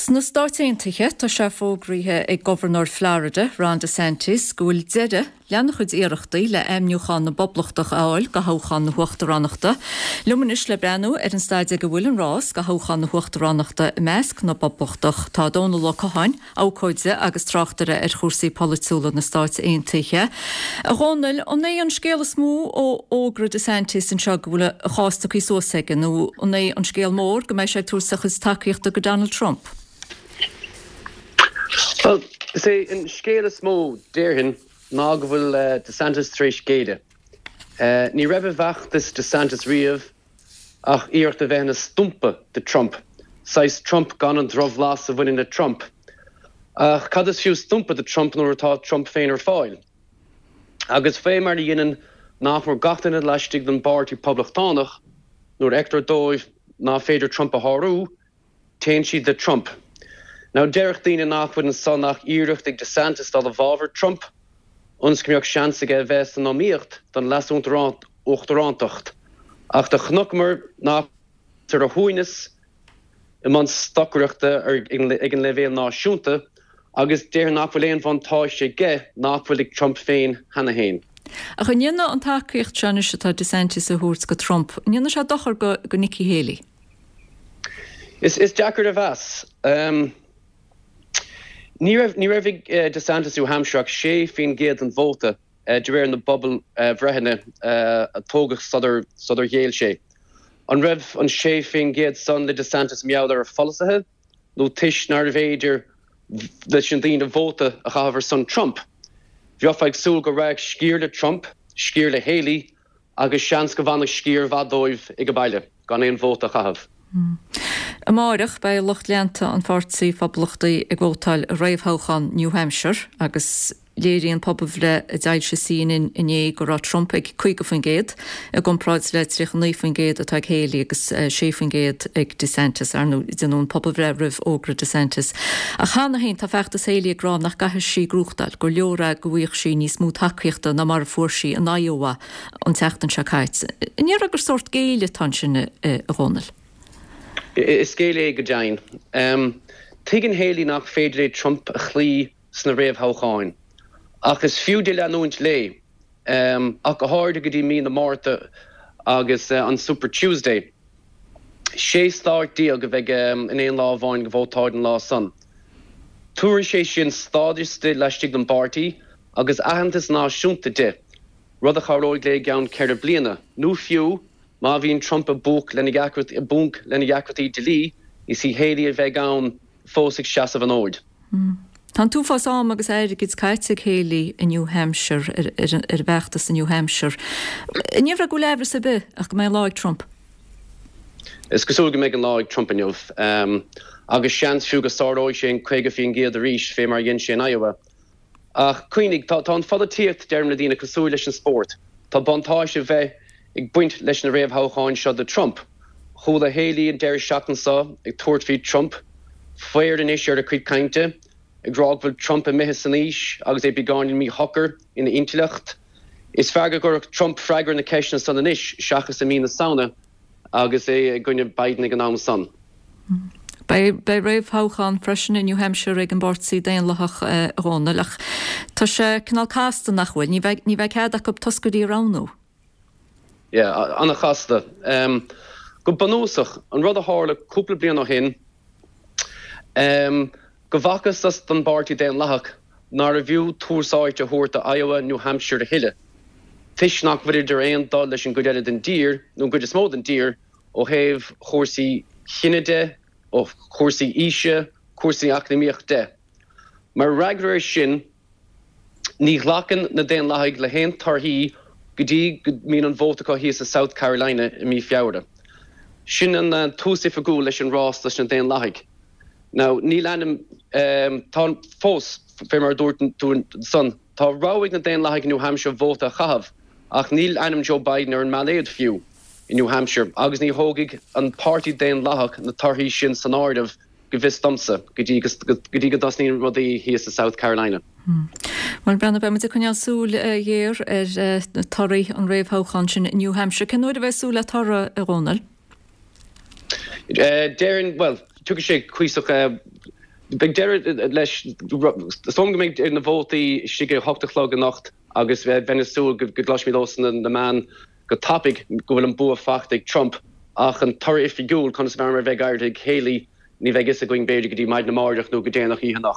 Sna Stáit Aontaithe, tá sé fógraithe ag Gobharnóir Florida, Ron DeSantis, go bhfuil deireadh lena chuid iarrachtaí le ainmniúchán na bPoblachtach a fháil do thoghchán na huachtaránachta. Liom anois le breathnú ar an staid ag a bhfuil an rás do thoghchán na huachtaránachta i measc na bPoblachtach tá Dónal Ó Catháin, abhcóide agus tráchtaire ar chúrsaí polaitiúla na Stáit Aontaithe. A Dhónaill, an é an scéal is mó ó fhógra DeSantis anseo go bhfuil a chás tugtha suas aige nó an é an scéal mór go mbeidh sé ag tabhairt a chuid tacaíochta go Donald Trump? Bhuel, is é an scéal is mó, déarfainn, ná go bhfuil DeSantis tar éis géilleadh. Ní raibh i bhfeachtas DeSantis riamh ach iarracht a bheith ina stumpa do Trump, saghas Trump gan an drochbhlas a bhaineann le Trump. Ach cad is fiú stumpa do Trump nuair atá Trump féin ar fáil? Agus fé mar a dhéanann nach mór gach duine laistigh den bPáirtí Poblachtánach, nuair a fheictear dóibh ná féidir Trump a shárú, téann siad le Trump. Now déarfadh daoine nach bhfuil ansan ach iarracht ag DeSantis dul i bhfabhar Trump ionas go mbeadh seans aige a bheith san iomaíocht don leas-uachtarántacht. Ach do chonaiceamar nach ar a shuaimhneas i mbun stocaireachta ag an leibhéal náisiúnta agus déarfainn nach bhfuil aon bhuntáiste aige nach bhfuil ag Trump féin cheana féin. Ach an ndéanfaidh an tacaíocht seo anois atá DeSantis a thabhairt go Trump, an ndéanfaidh sé dochar go Nikki Haley? Is deacair a mheas. Ní raibh ní raibh ag DeSantis New Hampshire ach 6% den vóta de réir na bpobalbhreitheanna a tógadh sular sular ghéill sé. An raibh an 6% san le DeSantis mar gheall ar a pholasaithe nó toisc nárbh fhéidir leis na daoine vóta a chaitheamh ar son Trump? Bheifeá ag súil go raghadh sciar le Trump, sciar le Haley agus seans go bhfanfadh sciar mhaith dóibh ag baile gan aon vóta a chaitheamh. Amáireach, beidh lucht leanta an Pháirtí Phoblachtaigh ag vótáil i réamhthoghchán New Hampshire agus léiríonn pobalbhreith a d'fhoilsigh CNN inné go raibh Trump ag 50% i gcomparáid le 39% atá ag Haley agus 6% ag DeSantis. Ar ndóigh, déanadh an pobalbhreith roimh fhógra DeSantis. Ach cheana féin tá feachtas Haley ag rá nach gcaithfidh sí gnóthachtáil, gur leor é go bhfaigheadh sí níos mó tacaíochta ná mar a fuair sí in Iowa an tseachtain seo caite. An ndéarfá gur sórt géilleadh atá ansin, a Dhónaill? Is géilleadh é go deimhin. Tuigeann Haley nach féidir léi Trump a chloí sna réamhthoghcháin. Ach is fiú di leanúint léi, ach go háirithe go dtí mí na Márta agus an Super Tuesday. 16 stát a bheidh in aon lá amháin ag vótáil an lá san. Tabharfaidh sé sin stádas di laistigh den bpáirtí agus aitheantas náisiúnta di, rud a chabhróidh léi i gceann 4 bliana, nó fiú má bhíonn Trump i bponc lena dheacrachtaí dlí, is í Haley a bheidh ann fós ag seasamh an fhóid. Tá an t-uafás am agus airgid caite ag Haley i New Hampshire, ar an bhfeachtas i New Hampshire. An ndéarfá go bhfuil aimhreas ar bith ach go mbeidh an lá ag Trump? Is cosúil go mbeidh an lá ag Trump inniu, agus seans fiú go sáróidh sé an 50% arís, fé mar a dhein sé in Iowa. Ach cuimhnigh, tá an pholaitíocht, deirim le daoine, cosúil leis an spórt. Tá buntáiste ar bheith ag baint leis na réamhthoghcháin seo do Trump. Chuala Haley an deireadh seachtaine seo ag tabhairt faoi Trump, faobhar anois ar a cuid cainte, ag rá go bhfuil Trump imithe san aois agus é beagáinín míshocair ina intleacht. Is fearr go gcuirfeadh Trump freagra ar na ceisteanna san anois seachas i mí na Samhna agus é i gcoinne Biden ag an am san. Beidh réamhthoghchán freisin i New Hampshire ag an bPáirtí Daonlathach, a Dhónaill, ach tá sé cineál casta, nach bhfuil? Ní bheidh, ní bheidh cead acu toscairí a roghnú. Yeah, an-chasta. Go bunúsach, an rud a tharla cúpla bliain ó shin, go bhfacthas don bPáirtí Daonlathach nárbh fhiú tús áite a thabhairt do Iowa, New Hampshire a thuilleadh, toisc nach bhfuilid ar aon dul leis an gcuid eile den dtír, nó an gcuid is mó den dtír, ó thaobh chúrsaí chine de, ó chúrsaí aoise, cúrsaí eacnamaíoch de. Mar fhreagra air sin, ní ghlacann na Daonlathaigh le haon torthaí go dtí go mbíonn an vóta acu thíos i South Carolina i mí Feabhra. Sin an tús oifigiúil leis an rás dos na Daonlathaigh. Now, níl ainm, tá fós, fé mar a dúirt tú ansan, tá rogha ag na Daonlathaigh i New Hampshire vóta a chaitheamh, ach níl ainm Joe Biden ar an mbailéad fiú i New Hampshire agus ní thógfaidh an Páirtí Daonlathach na torthaí sin san áireamh, go bhfios domsa, go dtí go dtí go dtosnaíonn rudaí thíos i South Carolina. Bhuel, Breandán, beidh muid ag coinneáil súil ghéar ar torthaí an réamhthoghcháin sin i New Hampshire. Cén uair a bheidh súil le toradh, a Dhónaill? Déarfainn, bhuel, tiocfaidh sé cuíosach. Beidh deireadh leis, is dóigh liom go mbeidh na vótaí istigh ag a hocht a chlog anocht agus bheinn ag súil go gcloisfimid ós na meáin go tapaidh go bhfuil an bua faighte ag Trump ach an toradh oifigiúil, conas mar a bheidh ag éirí ag Haley, ní bheidh fhios againn b'fhéidir go dtí maidin amárach nó go déanach oíche anocht.